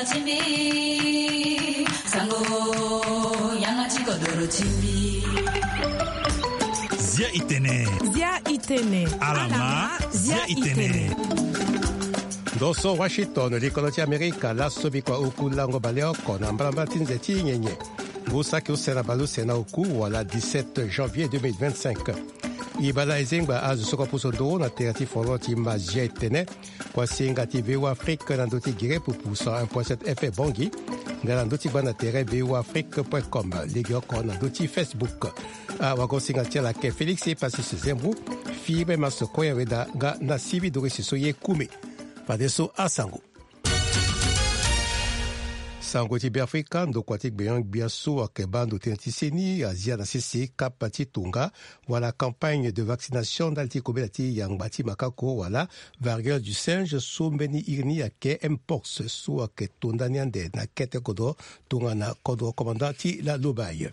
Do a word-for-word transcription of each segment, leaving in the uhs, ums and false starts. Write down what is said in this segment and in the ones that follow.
Zia itene. Zia itene. Alama. Zia itene. Ndo so Washington, likolo ti Amerika, laso bikua oku lango baleoko na mbalambala ti nze ti nyenye. Ngu saki use na baleuse na oku wala dix-sept janvier deux mille vingt-cinq. E bale ezengba azo so kua puso nduru na tere ti folo ti ma zia itene. Kuasinga ti V O A Afrique na ndö ti gere pupu cent un point sept F M Bangui. Nga na ndö ti gbanda tere V O A Afrique point com, legeoko na ndö ti Facebook. Awagosinga ti ala ake Félix Epasis Zembu, Fibe Maso Koya Weda nga na Sivi Doris so ye kume. Fadeso asango. Sango ti Beafrika, ndokua ti gbenyo-gbia so ayeke baa ndo tënë ti seni azia na sese kapa ti tonga wala campagne de vaccination ndali ti kobela ti yangba ti makako wala variole du singe so mbeni iri ni ayeke mpox so ayeke to ndani ande na kete kodro tongana kodro commandant ti la Lobaye.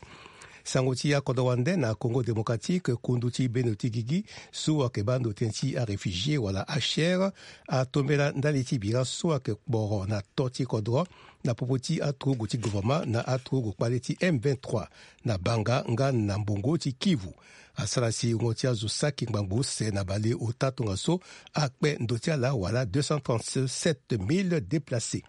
Sango ti akodro wande na Congo Démocratique, kundu ti bendo ti gigi so ayeke baa ndo tënë ti aréfugié wala H C R atombela ndali ti bira so ayeke kporo na to ti kodro na popo ti aturugu ti gouvernement na aturugu kpale ti M vingt-trois na Banga nga na mbongo ti Kivu. Asara si wungo ti azo saki ngbangbo use na baleota tongaso akpe ndo ti ala wala deux cent trente-sept mille déplacés.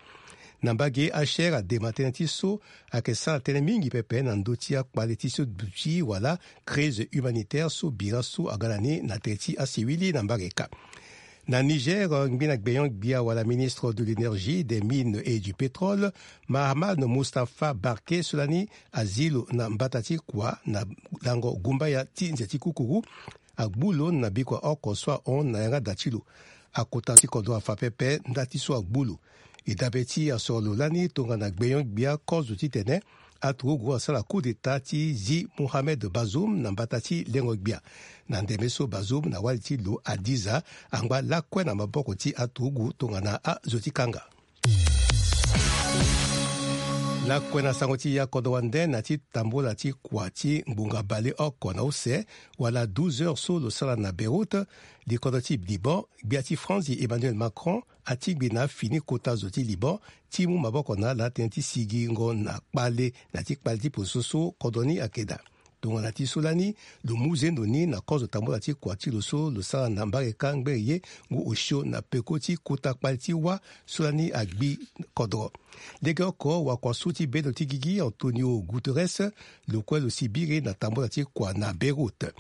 Na mbage, H C R adema tënë ti so ayeke sara tënë mingi pepe na ndö ti akpale ti so duti wala crise humanitaire so bira so aga na ni na tere ti asiwili na mbage ka. Na Niger, ngbina gbenyo-gbia wala ministre de l'énergie, des mines et du pétrole, Mahaman Mustapha Barke so lani azi lo na mbata ti kua na lango gumbaya ti nze ti kukuru, agbu lo na bikua oko so ahon na yanga da ti lo. Akota ti kodro afa pepe nda ti so agbu lo. E dabe ti asoro lo lani tongana gbenyo-gbia kozo titene aturugu asara coup d'état ti zi Mohamed Bazoum na mbata ti lengo-gbia. Na ndeme so Bazoum na wali ti lo Adiza angba lakue na maboko ti aturugu tongana azo ti kanga. Lakue na sango ti akodro wande, na ti tambola ti kua ti ngbonga baleoko na use wala douze heures so lo sara na Beyrouth, likodro ti Liban, gbia ti France Emmanuel Macron atingbi na afini kota zo ti Liban ti mu maboko na ala tënë ti sigingo na kpale, na ti kpale ti poso so kodro ni ayeke daa. Tongana ti so lani, lo mu zendo ni na kozo tambola ti kua ti lo so lo sara na mbage ka ngbere ye ngu osio na peko ti kota kpale ti wâ so lani agbi kodro. Legeoko wakua so ti bendo ti gigi Antonio Guterres lo kue lo si biri na tambola ti kua na Beyrouth.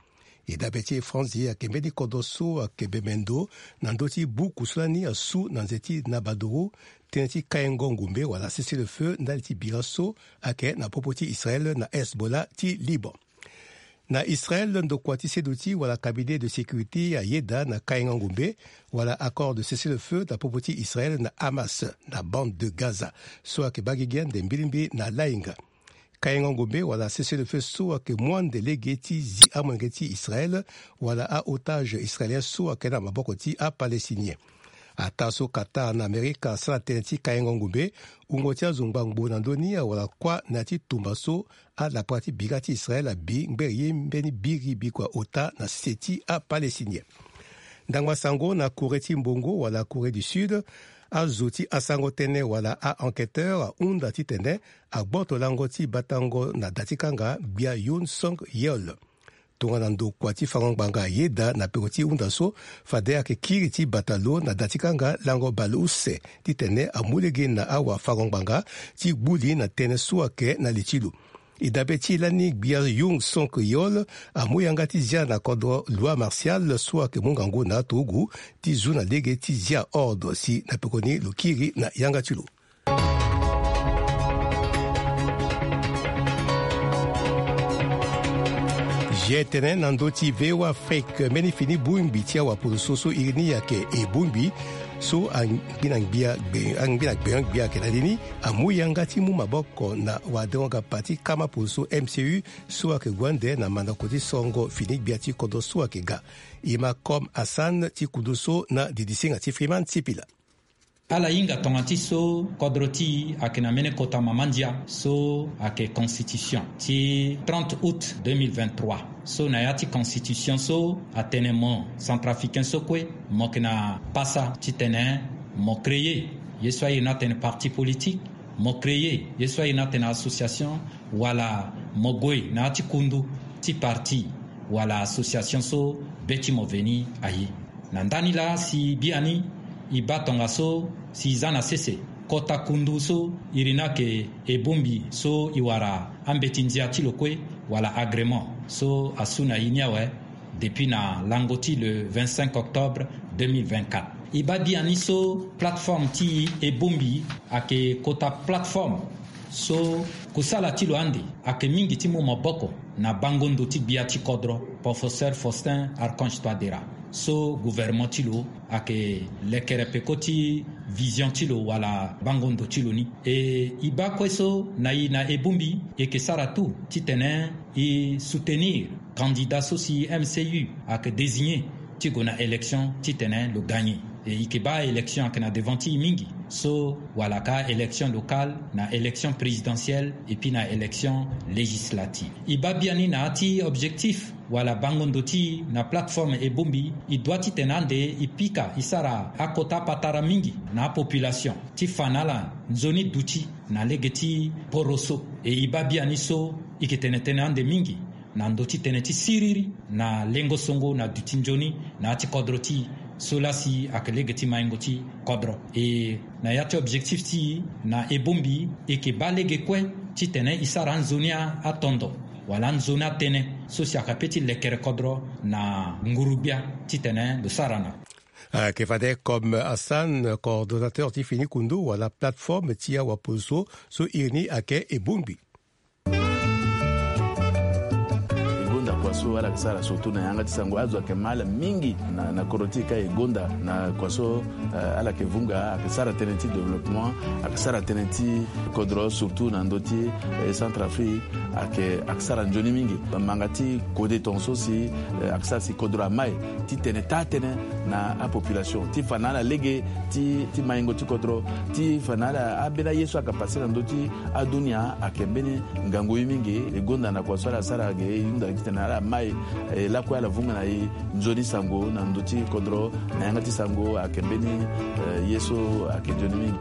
E dabe ti e Franzi ayeke mbeni kodro so ayeke bembe ndo na ndö ti buku so lani asu na nze ti nabadoro, tënë ti kaingo ngombe wala cessez-le-feu ndali ti bira so ayeke na popo ti Israël na Hezbollah ti Liban. Na Israël, ndokua ti seduti wala cabinet de sécurité ayeda na kaingo ngombe wala accord de cessez-le-feu na popo ti Israël na Hamas na bande de Gaza so ayeke baa gigi ande mbilimbili na lainga. Kaingo ngombe wala cessez-le-feu so ayeke mu ande lege ti zi amolenge ti Israël wala a-otage israélien so ayeke na maboko ti apalestinien. Ataa so Qatar na Amerika asara tënë ti kaingo ngombe, wungo ti azo ngbangbo na ndö ni awara kuâ na ya ti tumba so alapara ti bira ti Israël abi ngbere ye mbeni biri bikua ota na sese ti apalestinien. Ndangba sango na Corée ti mbongo wala Corée du Sud, azo ti asango tënë wala a-enquêteur ahunda titene agboto lango ti batango na da ti kanga gbia Yoon Sung Yeol. Tongana ndokua ti fango ngbanga ayeda na peko ti hunda so, fade ayeke kiri ti bata lo na da ti kanga lango baleuse titene amu lege na awafango ngbanga ti gbu li na tënë so ayeke na li ti lo. E dabe ti e lani gbia Yoon Sung Yeol amu yanga ti zia na kodro loi martiale so ayeke mu ngangu na aturugu ti zu na lege ti zia ordre si na pekoni lo kiri na yanga ti lo. Zia e tene na ndö ti V O A Afrique, mbeni fini bongbi ti awaporoso so iri ni ayeke e bongbi so angbina gbia gbe angbina gbenyo gbia ayeke na li ni amu yanga ti mu maboko na wadengo-gapa ti kama poroso M C U so ayeke gue ande na mandako ti songo fini gbia ti kodro so ayeke ga. E ma Comme Hassan ti kudu so na didisinga ti Freeman Sipila. Ala hinga tongana ti so kodro ti e ayeke na mbeni kota mama ndia so ayeke constitution ti trente août deux mille vingt-trois. So na ya ti constitution so atene mo centrafricain so kue mo yeke na pasa titene mo créer ye so airi ni atene parti politique. mo créer ye so airi ni atene association, wala mo gue na ya ti kundu ti parti wala association so be ti mo veni aye. Na ndani laa si biani e baa tongaso si e za na sese kota kundu so iri ni ayeke ebongbi so e wara ambeti ndia ti lo kue wala agrément so asu na e ni awe depuis na lango ti le vingt-cinq octobre deux mille vingt-quatre. E baa biani so plateforme ti e ebongbi ayeke kota plateforme so kusala ti lo ande ayeke mingi ti mu maboko na bango ndo ti gbia ti kodro, professeur Faustin Archange Touadéra, so gouvernement ti lo ayeke lekere peko ti vision ti lo wala bango ndo ti lo ni. E e baa kue so na e na ebongbi e yeke sara tout titene e soutenir candidat so si M C U ayeke désigner ti gue na élection titene lo gagner. E e yeke baa élection ayeke na devant ti e mingi, so wala ka élection locale, na élection présidentielle et puis na élection législative. E baa biani na ya ti objectif wala bango ndo ti e na plateforme ebongbi, e doit titene ande e pika e sara akota patara mingi na apopulation ti fa na ala nzoni duti na lege ti poro so. E e baa biani so e yeke tene tënë ande mingi na ndö ti tënë ti siriri na lengo songo na duti nzoni na ya ti kodro ti e, so laa si ayeke lege ti maingo ti kodro. E na ya ti objectif ti e na ebongbi, e yeke baa lege kue titene e sara anzoni atondo wala anzoni atënë so si ayeke ape ti lekere kodro na nguru-gbia titene lo sara na. Ayeke fade comme Hassan, coordonnateur ti fini kundu wala plateforme ti awapozo so iri ni ayeke ebongbi. E gonda kua so ala yeke sara surtout na yanga ti sango, azo ayeke ma ala mingi na, na kodro ti e ka e gonda na kua so, eh, ala yeke vunga, ayeke sara tënë ti développement, ayeke sara tënë ti kodro surtout na ndö ti, eh, Centrafrique, ayeke, ayeke sara nzoni mingi. Manga ti kode tongaso si, eh, ayeke sara si kodro amai ti tene taa tënë na apopulation ti fa na ala lege ti, ti maingo ti kodro, ti fa na ala ambeni aye so ayeke pase na ndö ti adunia ayeke mbeni ngangu ye mingi. E gonda na kua so ala sara ge e hunda titene ala mai, eh, lakue ala vunga na e nzoni sango na ndö ti kodro na yanga ti sango ayeke mbeni, eh, ye so ayeke nzoni mingi.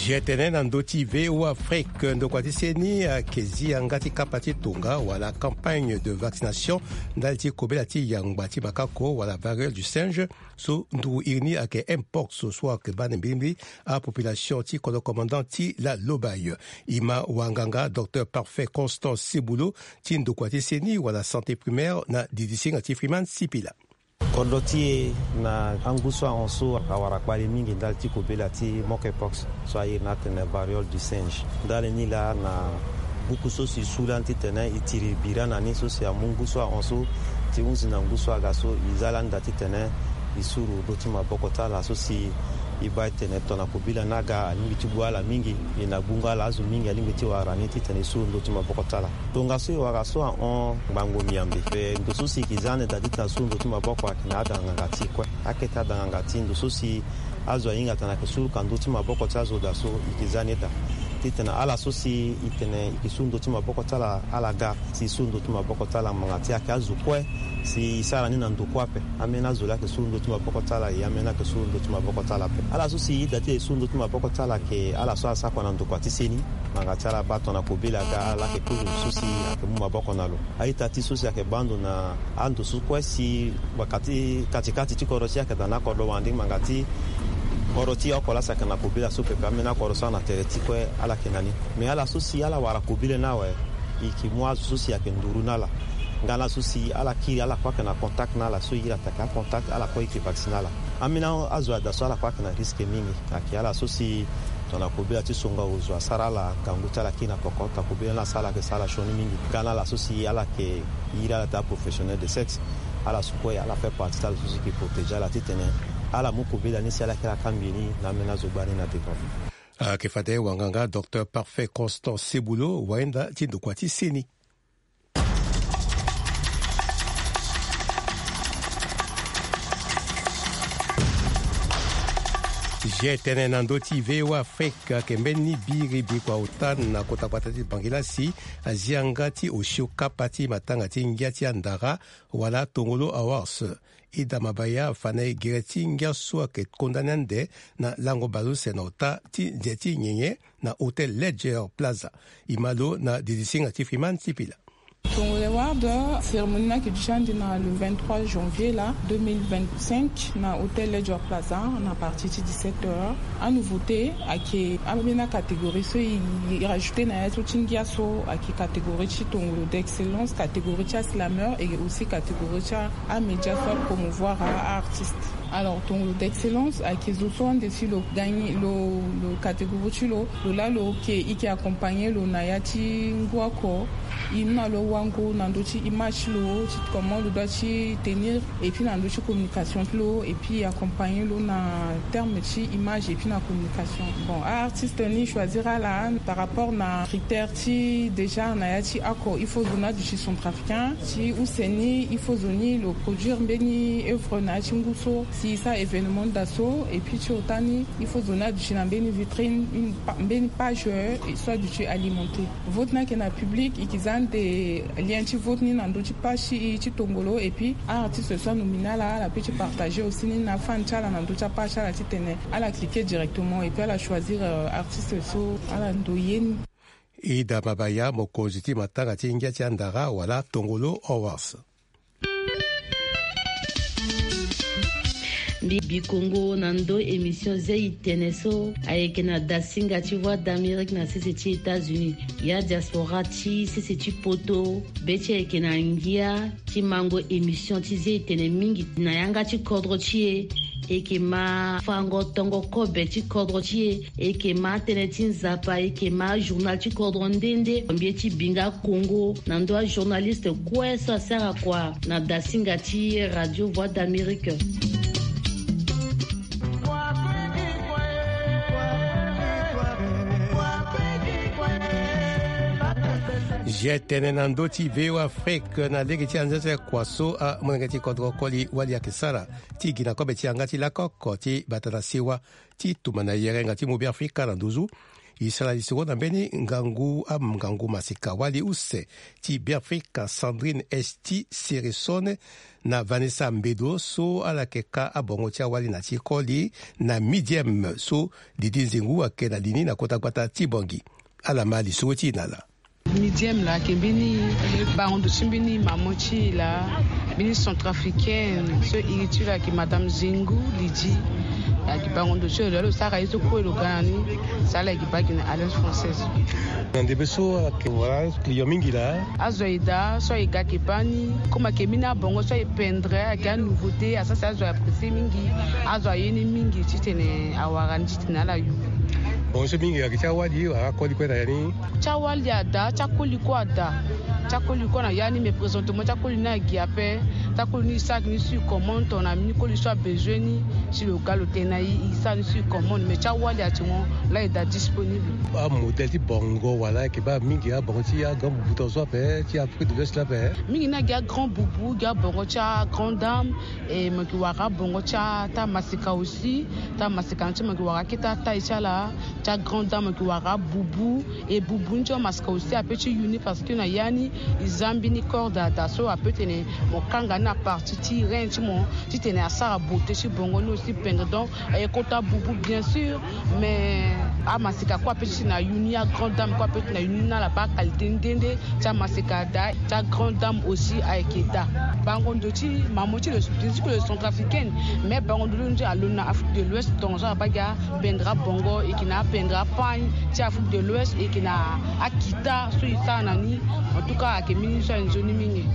Zia tene na ndö ti V O A Afrique, ndokua ti seni ayeke zi yanga ti kapa ti tonga wala campagne de vaccination ndali ti kobela ti yangba ti makako wala variole du singe, so nduru iri ni ayeke mpox, so ayeke baa na mbilimbili apopulation ti kodro commandant ti la Lobaye. E ma wanganga Docteur Parfait Constant Sebulo ti ndokua ti seni wala santé primaire na didisinga ti Freeman Sipila. Kodro ti e na angu so ahon so awara kpali mingi ndali ti kobela ti monkeypox so airi ni atene variole du singe. Ndali ni laa na buku so si e su lani titene e tiri bira na ni so si amu ngu so ahon so ti hunzi na ngu so aga so e za lani daa titene e suru ndö ti maboko ti ala so si e baa e tene tongana kobela ni aga alingbi ti gue ala mingi. E na gbungo ala azo mingi alingbi ti wara ni titene e suru ndö ti maboko ti ala. Tongaso e wara so ahon ngbangbo miambe. Mpe ndo so si e yeke za ni daa titene a suru ndö ti maboko ayeke na ada nganga ti e kue. Akete ada nganga ti e ndo so si azo ahinga titene ayeke suru ka ndö ti maboko ti azo daa so e yeke za ni daa. Titene ala so si e tene e yeke suru ndö ti maboko ti ala, ala ga si e suru ndö ti maboko ti ala ngbanga ti ayeke azo kue si e sara ni na ndo kue ape. Ambeni azo laa ayeke suru ndö ti maboko ti ala, e ambeni ayeke suru ndö ti maboko ti ala ape. Ala so si e daa ti e suru ndö ti maboko ti ala ayeke ala so asara kua na ndokua ti seni. Ngbanga ti ala baa tongana kobela aga ala laa ayeke kozo so si ayeke mu maboko na lo. A-ita ti so si ayeke baa ndo na ando so kue si baka ti kati kati ti kodro ti e ayeke daa na akodro wande ngbanga ti kodro ti e oko laa si ayeke na kobela so pepe, ambeni akodro so ayeke na tere ti kue ala yeke na ni. Me ala so si ala wara kobela ni awe, e yeke mu azo so si ayeke nduru na ala. Nga na ala so si ala kiri ala kue ayeke na contact na ala so e iri atake acontact ala kue e yeke vacciner ala. Ambeni azo adaa so ala kue ayeke na risque mingi. Ayeke ala so si tongana kobela ti songo azo asara ala ngangu ti ala kiri na poko, tongana kobela ni asara ala ayeke sara ala sioni mingi. Nga na ala so si ala yeke iri ala daa professionnel de sexe. Ala so kue ala fait partie ti ala so si yeke protéger ala titene ala mu kobela ni si ala yeke ala kangbi ni na ambeni azo gbani na devant. Ayeke fade wanganga Docteur Parfait Constant Sebulo, wayenda ti ndokua ti seni. Zia etene na ndö ti VOA Afrique, ayeke mbeni biri bikua ota na kota gbata ti Bangui la si azi yanga ti osio kapa ti matanga ti ngia ti andara wala Tongolo Awards. Ida Mabaya afa na e gere ti ngia so ayeke kondani ande na lango baleuse na ota ti nze ti nyenye na Hotel Ledger Plaza. E ma lo na didisinga ti Freeman Sipila. Tongolo Award, cérémonie ni ayeke duti ande na le vingt-trois janvier la deux mille vingt-cinq na Hotel Ledger Plaza na partir ti dix-sept heures. Anouveauté ayeke ambeni acatégorie so e rajouté na ya so ti ngia so ayeke catégorie ti tongolo d'excellence, catégorie ti aslameur et aussi catégorie ti amédia so apromouvoir aartiste. Alors tongolo d'excellence ayeke zo so ande si lo gagné lo, lo catégorie ti lo, lo laa lo ke e ke accompagné lo na ya ti ngu oko. E mu na lo wango na ndö ti image ti lo, ti comment lo doit ti tenir, et puis na ndö ti communication ti lo, et puis e accompagné lo na terme ti image et puis na communication. Bon, aartiste ni choisir ala par rapport na critère ti déjà na ya ti oko, il faut zo ni aduti centrafricain. Ti use ni il faut zo ni lo produire mbeni œuvre na ya ti ngu so si e sara événement nda so, et puis ti ota ni il faut zo ni aduti na mbeni vitrine, une pa- mbeni page, euh, so aduti alimenté. Vote ni ayeke na public, e ke za ande lien ti vote ni na ndö ti page ti e ti tongolo, et puis aartiste so anominé ala, ala peut ti partager aussi ni na afan ti ala na ndö ti apage ti ala titene ala cliquer directement et puis ala choisir, euh, artiste so ala ndoye ni. Ida Mabaya, mokonzi ti matanga ti ngia ti andara wala Tongolo Awards. Mbi bikongo na ndö émission zia itene so ayeke na dasinga ti Voix d'Amérique na sese ti États-Unis. Ya diaspora ti sese ti poto, be ti ayeke na ngia ti mango émission ti zia itene mingi na yanga ti kodro ti e. E ke ma fango tongo kobe ti kodro ti e. E ke ma tënë ti Nzapa, e ke ma journal ti kodro nde nde. Mbi ye ti binga kongo na ndö ajournaliste kue so asara kua na dasinga ti Radio Voix d'Amérique. Zia tënë na ndö ti VOA Afrique na lege ti anzenze kua so amolenge ti kodro koli wali ayeke sara ti gi na kobe ti yanga ti lako oko ti bata na sewa ti tumba na yerenga ti mu Beafrika na nduzu. E sara lisoro na mbeni ngangu, angangu maseka wali use ti Beafrika Sandrine Esti Seresone na Vanessa Mbedo so ala yeke ka abongo ti awali na ti koli na Midieme so Didi Nzengu ayeke na li ni na kota gbata ti Bangui. Ala ma lisoro ti e na ala. Midieme laa ayeke mbeni bango ndo ti mbeni maman ti e laa, mbeni centrafricaine so iri ti lo ayeke Madame Zengu Lydie. Ayeke bango ndo ti lo laa lo sara ye so kue lo ga na ni. Si ala yeke baa gi na Alliance Française. Na ndembe so ayeke wala client mingi laa. Azo aye daa so aye ga ayeke baa ni. Comme ayeke mbeni abongo so aye pendre, ayeke anouveauté, asara si azo aye apprécier mingi. Azo aye ni mingi titene awara ni titene ala yu. Bongo so mingi ayeke ti awali wala akoli kue na ya ni. Ti awali ada, ti akoli kue ada. Ti akoli kue na ya ni, mais présentement ti akoli ni agi ape. Ti akoli ni e sara gi ni sur commande, tongana mbeni koli so abezoin ni, si lo ga lo tene na e, e sara ni sur commande, mais ti awali ati mo laa e daa disponible. Amodèle ti bongo wala ayeke baa mingi abongo ti agrand boubou tongaso ape ti Afrique de l'Ouest la ape. Mingi ni agi agrand boubou, gi abongo ti agrande dame. E mo yeke wara abongo ti ata maseka aussi. Ata maseka ni ti mo yeke wara akete ataille ti ala. Ti agrande dame mo yeke wara abubu. E bubu ni ti amaseka aussi ape ti yu ni parce que na ya ni e za mbeni corde ada so ape tene mo kanga ni na partie ti rein ti mo titene asara beauté ti bongo ni aussi pendre. Donc aye kota bubu bien sûr, mais amaseka kue ape ti tene ayu ni, agrande dame kue ape ti tene ayu ni na ala baa qualité nde nde. Ti amaseka ada, ti agrande dame aussi ayeke daa. Bango ndo ti mamo ti lo, ti lo centrafricaine, mais bango ndo ti lo ni ti alo na Afrique de l'Ouest, tongaso abaa gi apendre abongo, e yeke na apendre apagne ti Afrique de l'Ouest, e yeke na akita so e sara na ni. En tout cas ayeke mbeni so aye nzoni mingi.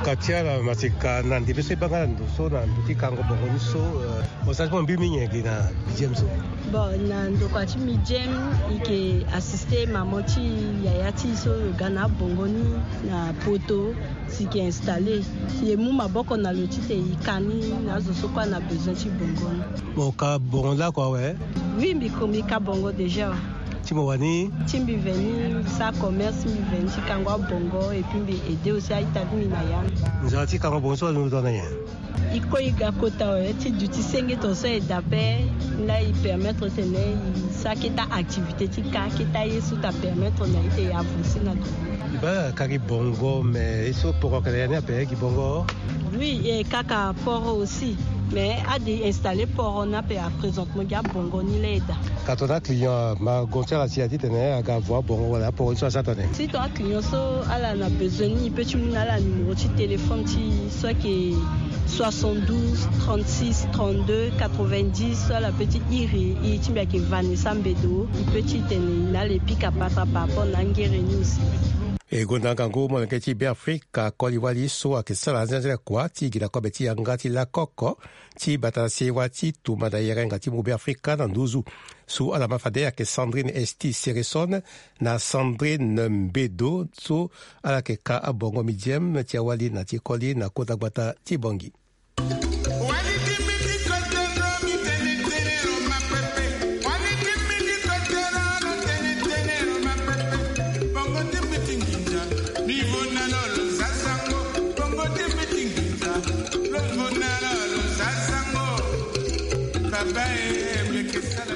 Ka ti ala maseka na ndembe so e baa nga na ndo so na ndo ti kango bongo ni so, euh, Mo sara ti mo mbi mingi gi na Midieme so. Bon, na ndokua ti Midieme, e yeke assister maman ti yaya ti e so lo ga na abongo ni na poto, si e yeke installer. Si e mu maboko na lo titene e ka ni na azo so kue ana besoin ti bongo ni. Mo ka bongo lakue awe? Oui, mbi ko mbi ka bongo déjà. Ti mo wani? Ti mbi veni, mbi sara commerce, mbi veni ti kango abongo, et puis mbi aider aussi a-ita ti mbi na ya ni. Nzara ti kango bongo so azo ndo na nyen? E kue e ga kota awe ti duti senge tongaso e daa ape. Laa e permettre titene e sara keta activité ti ka, keta ye so ta permettre na e titene e avancer na ndo. Baa kari bongo mais ye so poro ayeke na ya ni ape gi bongo. Oui, e kaka poro aussi. Mais ade e installer poro ni ape, à présent mo gi abongo ni laa e daa. Ka tongana aclient ma gongo ti ala si a titene aga avo abongo wala aporo ni so asara tene. Si tongana aclient so ala na besoin ni, e peut ti mu na ala numéro ti téléphone ti so ayeke soixante-douze trente-six trente-deux quatre-vingt-dix. So ala peut ti iri e, ti mbi ayeke Vanessa Mbedo. E peut ti tene na ala e pika patara par rapport na angere ni aussi. E gonda ngangu molenge ti Beafrika koli wali so ayeke sara anzenze kua ti gi na kobe ti yanga ti lakoko ti bata na sewa ti tumba na yerenga ti mu Beafrika na nduzu. So ala ma fade ayeke Sandrine Esti Sereson na Sandrine Mbedo so ala yeke ka abongo midieme ti awali na ti koli na kota gbata ti Bangui.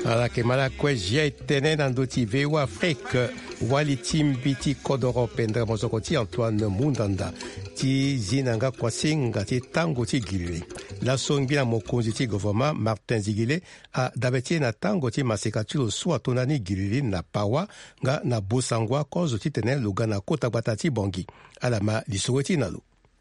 Ala yeke ma lakue gi tënë na ndö ti V O A Afrique. Wali ti mbi ti kodoro pendere mosoko ti Antoine Mundanda ti zi na nga kuasinga ti tango ti gilili. Laso ngbina mokonzi ti governement Martin Zigile adabe ti e na tango ti maseka ti lo so atonda ni gilili na Pawa nga na Bossangoa kozo titene lo ga na kota gbata ti Bangui. Ala ma lisoro ti e na lo.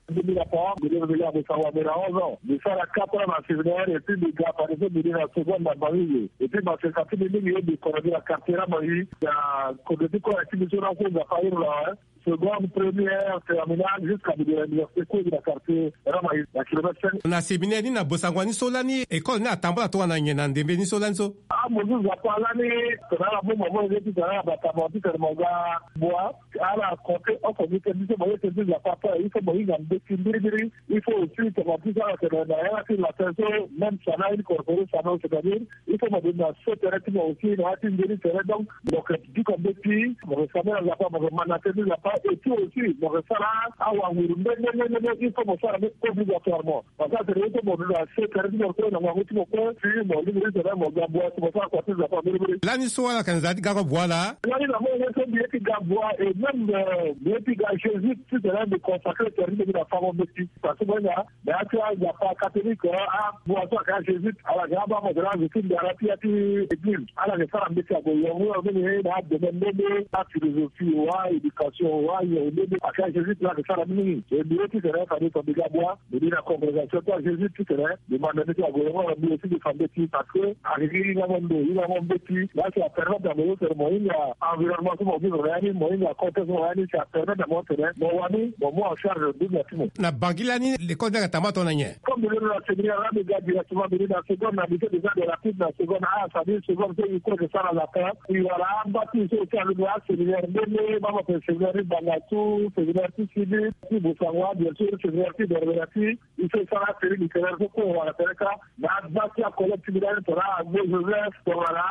Mbi na Pawa, mbi reveillé na Bossangoa, mbi na onze ans. Mbi sara quatre ans na séminaire, et puis mbi ga fade so mbi ni na seconde na Bangui. Et puis maseka ti mbi mingi ye mbi kono mbi na quartier na Bangui. Na kodro ti kue na ti mbi so na so Nzapa iri na, hein. Seconde, première, terminale, jusqu'à mbi de l'université kue mbi na quartier Ramaï, na kilomètre cinq. Na séminaire ni na Bossangoa ni so lani école ni atambula tongana nyen na ndembe ni so lani so? Ah, mo zu Nzapa lani, tongana ala boma mo ye ti tongana ala bata mo ti tene mo ga bua. Ala compter oko gi tënë ti so mo ye tënë ti Nzapa ape, il faut mo hinga mbeti mbirimbiri. Il faut aussi tongana ti so ala tene na yanga ti latin so, même sana incorporé sana, c'est-à-dire il faut mo duti na so tere ti mo aussi na ya ti nzoni tere. Donc mo yeke duka mbeti, mo yeke sambela Nzapa, mo yeke ma na tënë ti Nzapa, et puis aussi mo yeke sara awanguru nde nde nde nde, il faut mo sara ni obligatoirement. Parce que atene il faut mo duti na so tere ti mo kue na ngangu ti mo kue, si mo lingbi ti tene mo ga bua si mo sara kua ti Nzapa mbirimbiri. Lani so ala yeke na nzara ti gako bua laa? Lani na mo ye so mbi ye ti ga bua, et même euh, mbi ye ti ga Jésus ti tene mbi consacré tere ti mbi na fango mbeti. Parce que mo hinga na ya ti aNzapa catholique, abua so ayeke ajésuite, ala ga abaa mo tene azo ti ndara ti ya ti église. Ala yeke sara mbeti ague yongo yongo mingi na adomaine nde nde, aphilosophie wa, éducation wa, yongo nde nde. Ayeke ajésuite la ayeke sara ni mingi. E mbi ye ti tene fade tongana mbi ga bua, mbi ni na congrégation ti ajésuite ti tene mbi ma na mbeti ague yongo yongo, mbi aussi mbi fa mbeti parce que ayeke gi hinga mo ndo, hinga mo mbeti. La si apermettre na mo so tene mo hinga environnement so mo vivre na ya ni, mo hinga contexte so mo na ya ni, si apermettre na mo tene mo wani mo mu en charge dunia ti mo. Na Bangui lani, l'école ni ayeke tambula tongana nyen? Comme mbi londo na séminaire la, mbi ga directement, mbi ni na seconde, na lycée déjà de rapide na seconde, ah, c'est-à-dire seconde so e kue e sara latin. E wala amba ti e so e ti alondo aséminaire nde nde, mama pe séminaire ti Bangassou, séminaire ti Sidi, ti Bossangoa, bien sûr séminaire ti Berbera ti. E so e sara asérie littéraire so kue e wara tere kâ. Na agba ti acollègue ti mbi lani tongana Agbo Joseph, tongana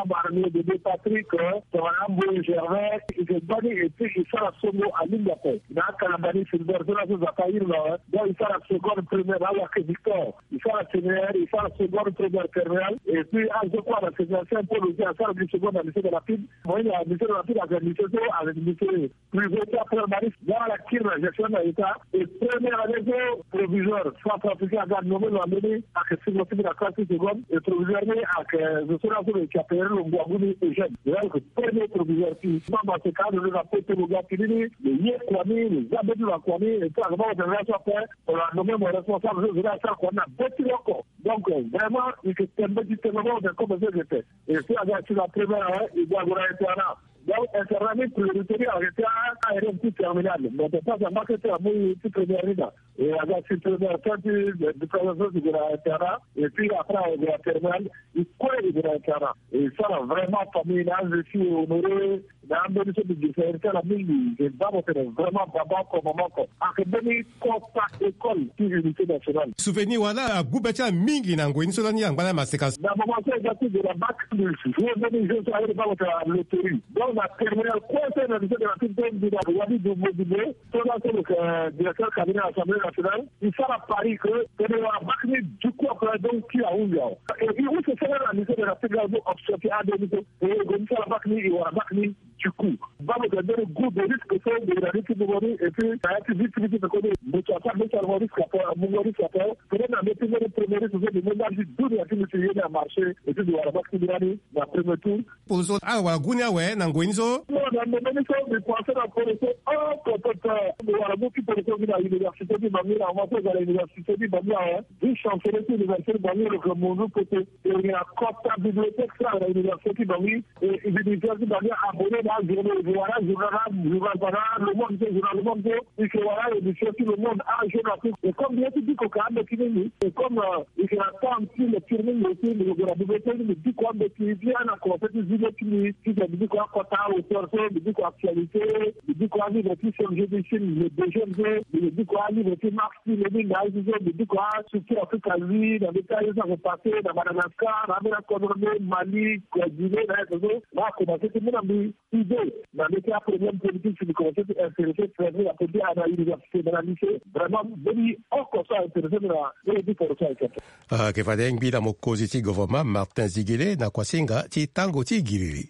Abarnier Bébé Patrick, tongana Mboye Gervais, e yeke gbani, et puis e sara songo alingbi ape. Na akalambani Filbert so laso Nzapa iri na awe. Donc e sara seconde, première na Awake Victor. E sara séminaire, e sara seconde, première, terminale. Et puis azo kue na séminaire Saint Paul aussi asara gi seconde na lycée de Lapide. Mo ye na lycée de Lapide ayeke lycée so ayeke lycée privé ti aprimari. Nga ala kiri na gestion na état. Et première année so proviseur, centrafricain aga nommé lo na mbeni, ayeke singla ti mbi na classe ti seconde. Et proviseur ni ayeke zo so laso lo yeke appelé lo ngu agu ni Eugène. Lo yeke premier proviseur ti mbi. Mama seka alondo na poto lo ga fini ni, lo ye kua ni, lo za mbeti lo na kua ni. Et puis ayeke mama tene laso ape, lo na nommé mo responsable so zo ni asara kua ni na be ti lo oko. Donc vraiment e yeke tene mbeti tene mama tene comme so e yeke tene. Et puis aga ti na première, e ga ague na internat. Donc internat ni priorité ni ayeke ti a-, A R M ti terminale. Mo yeke pasa marqué ti amu ti première ni daa. E aga ti première, fin ti, eh, diplôme so si gue na internat. Et puis après ague na terminale. E kue e gue na internat. E sara vraiment famille na azo ti e honoré. Na ambeni so mbi gi fa iri ti ala mingi. E baa mo tene vraiment baba oko mama oko. Ayeke mbeni kota école ti unité nationale. Souvenir wala agu be ti ala mingi na ngoi ni so lani angba lani maseka. Na moment so e ga ti gue na bac plus, ye mbeni jeu so aye baa mo tene na loterie. Donc na terminale Conseil na biso de la petite mbi na wadi du modibo so na so le directeur cabinet assemblée nationale, il sara pari que tene wara bak ni du coup après donc ti ahunzi awa. Et puis use sara na biso de la petite mbi option ti ade ni so e go ni sara bak ni e wara bak ni du coup. Babo ga ndere goût de risque so de la risque de mori et puis ça a été vite vite de koni mbi to ata mbi sara mo risque apa mo risque apa. Peut-être na mbi ti mori premier risque so de mo nda ti du de la ti mbi ti yeni a marché et puis de wara bak ti mbi nani na premier tour. Polo so ala wara gu ni awe na ngoi ni so. Non, na ndembe ni so mbi pense na polo so, oh, peut-être mbi wara mu ti polo so mbi na université ti bangi na ma so eza na université ti bangi awe. Vice chancelier ti université ti bangi lo ke munzu poto. E na kota bibliothèque so na université ti bangi. E université ti bangi abonné na ajournée, e wara journal na journal bana le monde so, journal le monde so. E ke wara émission ti le monde a jour na afrique. E comme mbi ye ti biko ka ande ti ni ni e comme e ke na temps ti lecture ni mbi aussi mbi ke gue na bibliothèque ni mbi biko ande ti bien na conseil ti zile ti mbi ti ke mbi biko akota auteur so mbi biko actualité. Mbi biko alivre ti chef jeu de chine le deuxième so. Mbi biko alivre ti marx ti le ni na aye so mbi biko astructure afrique azi na ndeti aye so ake passé na madagascar na ambeni akodro nde mali guinée na aye so. Na akomanse ti mu na mbi idée na ndeti aproblème politique si mbi komanse ti intéressé traité na politique na université na na lycée. Vraiment mbeni oko so aintéressé mbi na ndeti poro so aye kete. Ayeke fade ngbi na mokonzi ti gouvernement martin zigele na kuasinga ti tango ti giriri.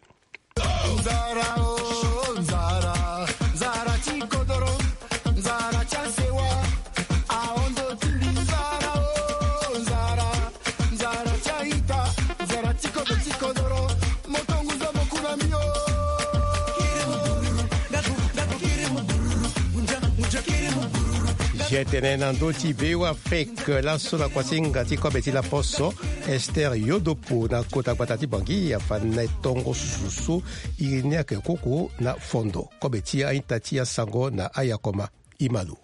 Nzara o nzara, nzara ti kodoro, nzara ti asewa. Ahondo ti mbi nzara o nzara, nzara ti aita, nzara ti kodoro ti kodoro. Moto ngu zo mo ku na mbi o. Zia tene na ndö ti be wa fek laso na kuasinga ti kobe ti laposo. Esther yodopo na kota gbata ti bangi afa na e tongo susu so. Iri ni ayeke koko na fondo kobe ti a-ita ti asango na ayakoma. Imalo.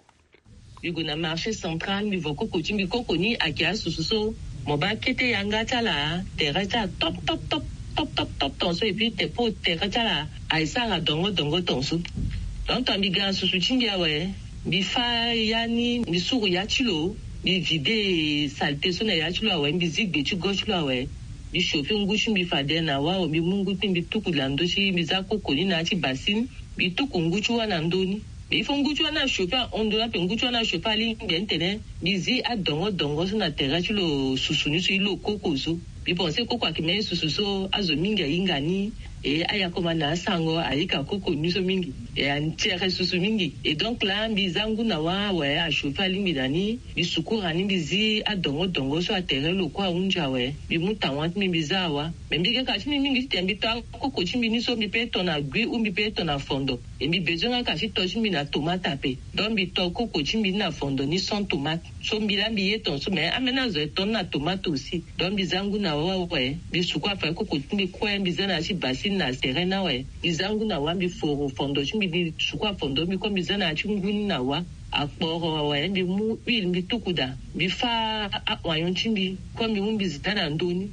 Mbi gue na marché central mbi vo koko ti mbi koko ni ayeke asusu so. Mo baa kete yanga ti ala tere ti ala top top top top top top tonso epui tepo tere ti ala aye sara dongo dongo tonso. Donc to mbi ga na susu ti mbi awe. Mbi fa ya ni mbi suru ya ti lo. Mbi vide salté so na ya ti lo awe mbi zi gbe ti go ti lo awe. Mbi chauffe ngu ti mbi fade na wao mbi mu ngu ti mbi tuku na ndö ti mbi za koko ni na ya ti basine. Mbi tuku ngu ti wâ na ndö ni. Mais il faut ngu ti wâ ni achauffe ahon ndö ni ape ngu ti wâ ni achauffe alingbi ni tene mbi zi adongo dongo so na tere ti lo susu ni so ilo koko so. Mbi pense koko ayeke mbeni susu so azo mingi ahinga ni. E ayakoma na asango ayika koko ni so mingi. E atiere susu mingi. E donc laa mbi za ngu na wâ awe achauffe alingbi na ni. Mbi sukura ni mbi zi adongo dongo so atere lo kue ahunzi awe. Mbi mu tawa ti mbi mbi za awa. Mais mbi yeke ka ti mbi mingi titene mbi to akoko ti mbi ni so mbi pe to na gui ou mbi pe to na fondo. E mbi bezoin nga ka ti to ti mbi na tomate ape. Donc mbi to koko ti mbi ni na fondo ni sans tomate. So mbi laa mbi ye tonso mais ambeni azo aye to ni na tomate aussi. Donc mbi za ngu na wâ awe. Mbi suku afa koko ti mbi kue mbi za na ya ti basine na sere ni awe. Mbi za ngu na wâ mbi foro fondo ti mbi mbi suku afondo mbi kue mbi za na ya ti ngu ni na wâ. Akporo awe mbi mu huile mbi tuku daa. Mbi fâ a-oignon ti mbi kue mbi mu mbi za na ndö ni.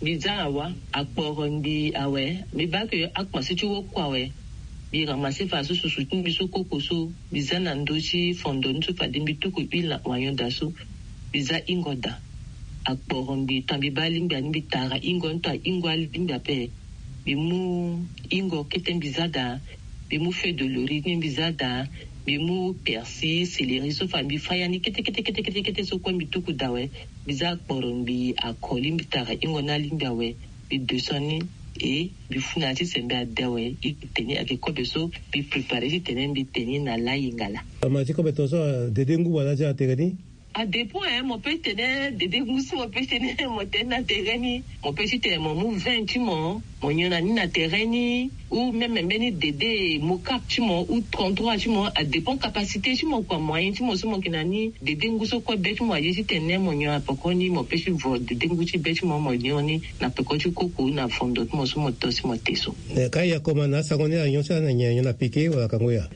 Mbi za na wâ akporo mbi awe. Mbi baa ke akpansi ti woko awe. Mbi ramasse fa so susu ti mbi so koko so. Mbi za na ndö ti fondo ni so fade mbi tuku huile na oignon daa so. Mbi za hingo daa. Akporo mbi to mbi baa alingbi ani mbi tara hingo ni to ahingo alingbi ape. Mbi mu hingo kete mbi za daa. Mbi mu feuille de laurier ni mbi za daa. Mbi mu persil céleri so fa mbi fa ya ni kete kete kete kete kete so kue mbi tuku daa awe. Mbi za akporo mbi akoli mbi tara hingo ni alingbi awe. Mbi descend ni. E mbi fu na ya ti sembe ade awe. E te ni ayeke kobe so mbi prépare titene mbi te ni na layi ngala. Ama ti kobe tongaso dede ngu wala ti atere ni. Adépend hein mo pe tene dede ngu so mo pe tene mo te ni na tere ni. Mo pe titene mo mu vingt ti mo mo nyon na ni na tere ni. Ou même mbeni dede mocap ti mo ou trente-trois ti mo adépend capacité ti mo kua moyen ti mo so mo yeke na ni. Dede ngu so kue be ti mo aye titene mo nyon na peko ni mo pe ti vo dede ngu ti be ti mo mo nyon ni na peko ti koko na fondo ti mo so mo to si mo te so. Ka ayakoma na asango ni anyon ti ala na nyen anyon na pike wala kango ya?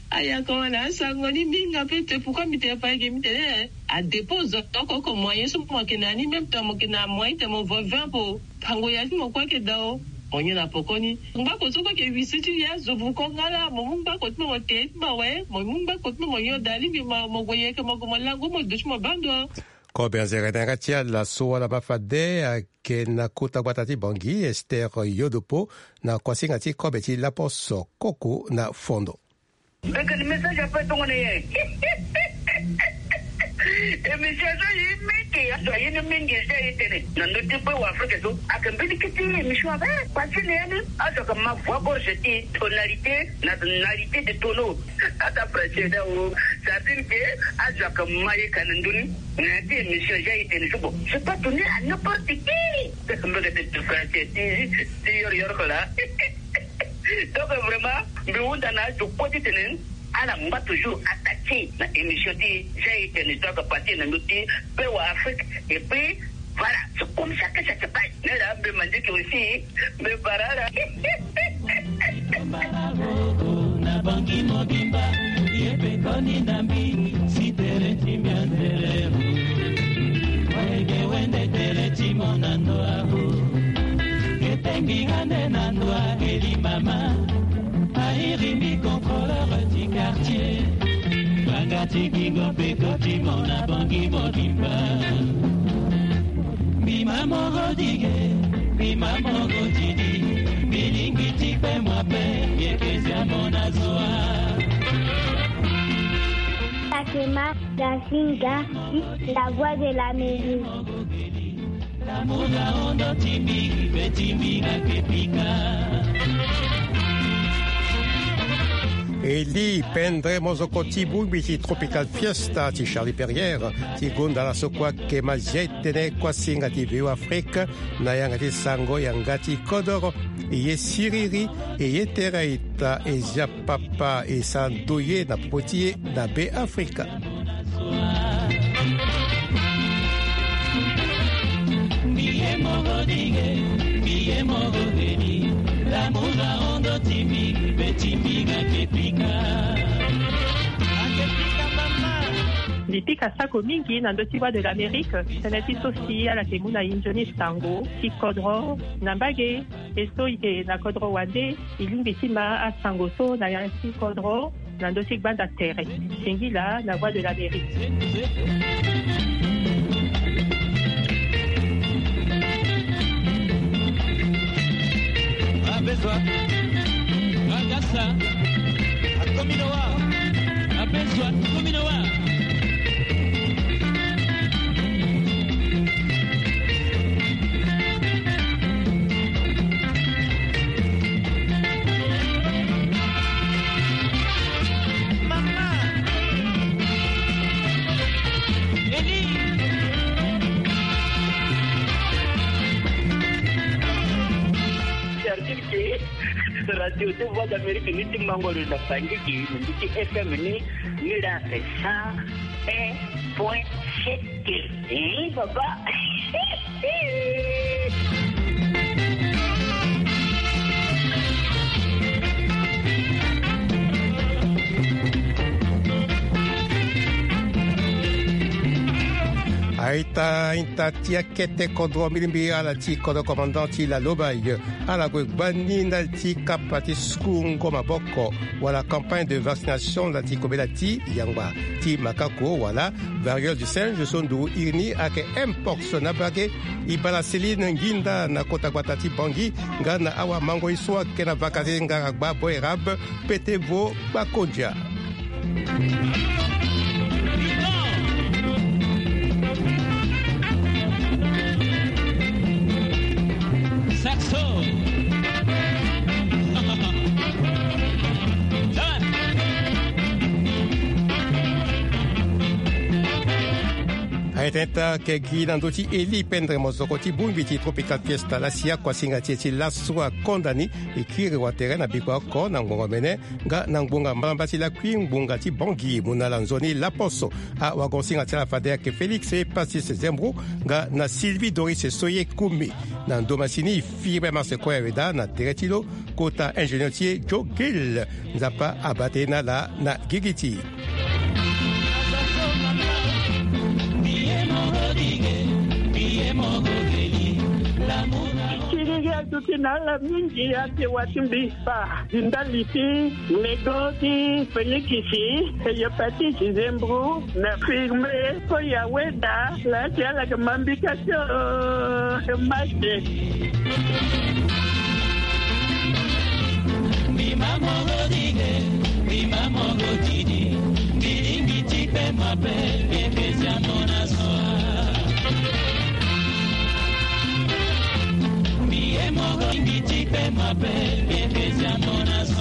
Ayakoma na asango ni mingi ape te pourkoi mbi tene fa eke mbi tene adépend zo oko oko moyen so mo yeke na ni même temps mo yeke na moyen tene mo vo vingt po. Tango ya ti mo kue ayeke daa o. Mo nyon na poko ni ngbako so kue ayeke wisi ti ya zo buko nga laa mo mu ngbako ti mo mo te ti mo awe mo mu ngbako ti mo mo nyon daa lingbi mo gue yeke mo gue mo lango mo duti mo baa ndo. Kobe anzere na yanga ti ala so wala ma fade ayeke na kota gbata ti Bangui, Esther Yodopo, na kuasinga ti kobe ti Lapos Koko na Fondo. Mbekeni message ape tongana nyen? Émission so ye mingi, azo aye ni mingi, eza ye tene na ndö ti pe wa Afrika so ayeke mbeni kete émission ape. Pasi na ya ni azo ayeke ma voix gorge ti tonalité na tonalité de tonneau. Ata français da o, ça veut dire que azo ayeke ma ye ka na ndö ni. Na ya ti émission eza ye tene so, bon, c'est pas donné à n'importe qui. Mbekete français ti, ti yoro yoro ko la. Donc vraiment, mbi hunda na azo kue titene ala ngba toujours attaqué na émission ti Jean Éternel, donc parti na ndö ti pe wa Afrique. Et puis voilà, c'est comme ça que ça se passe. Mais là, mbi mandieke aussi, mbi bara ala. Na bangi mobimba, ye pe koni na mbi, si tere ti mbi anzere. Wege wende tere ti mo na ndo aho. Ete mbi ga nde na ndo a eli mama. Airi mbi contrôleur ti quartier. Banga ti gingo pe koti mo na bangi mobimba. Mbi ma moro dige, mbi ma moro didi. Mbi lingbi ti pe mo ape, mbi yeke zia mo na zo a. Fatima Gasinga, la voix de l'Amérique. Eli pendre mozoko ti bongbi ti Tropical Fiesta ti Charlie Perrier ti gonda ala so kue ayeke ma zia e tene kuasinga ti V O Afrique na yanga ti sango yanga ti kodoro. E ye siriri, e ye tere aita, e zia papa, e sa ndoye na popo ti e na Be Afrika. Mbi pika sako mingi na ndö ti Voix de l'Amérique, tënë ti so si ala yeke mu na e nzoni sango ti kodro na mbage. E so e yeke na kodro wande, e lingbi ti ma asango so na ya ti kodro na ndö ti gbanda tere. Singila na Voix de l'Amérique. Abezwa, agasa, akomino wa, abezwa, akomino wa. Service radio de Voix d'Amérique ni ti mango lo na Bangui, ni ti F M ni, ni la cent un point sept. Eh, papa. Aita, aita ti akete kodro, mbi lingbi ala ti kodro commandant ti Lalobaye. Ala gue gbani ndali ti kapa ti suku ngo maboko wala campagne de vaccination ndali ti kobela ti yangba ti makako wala variole du singe so nduru iri ni ayeke mpox na mbage. E bala Céline Nginda na kota gbata ti Bangui nga na awamango ye so ayeke na vaka ti ngara gba Boerab, pete vo Bakondia. Saxo. Aye tene ta yeke gi na ndö ti Eli pendre mozoko ti bongbi ti Tropical Fiesta lasi akuasinga ti e ti laso akonda ni. E kiri watere na bikua oko na ngbonga omene nga na ngbonga mbalambala ti lakui ngbonga ti Bangui, mu na ala nzoni laposo. Awagosinga ti ala fade ayeke Félix Epasis Zembro nga na Sylvie Doris Soye Kumi. Na ndo masini e firi be marse kue awe daa na tere ti lo kota ingénieur ti e Joe Gill. Nzapa abate na ala na gigi ti e. Ti na ala mingi ake wa ti mbi kpa. Di ndali ti lego ti fenikisi, hepatite, zembro, na firme, ko yaweda. La ti ala ke mambika ti o mate. Mbi ma moro dige, mbi ma moro didi. Mbi lingi ti pe mabe, mbi pesi amo na soa. Mbi ye moro lingi ti pe mabe, mbi pesi amo na soa.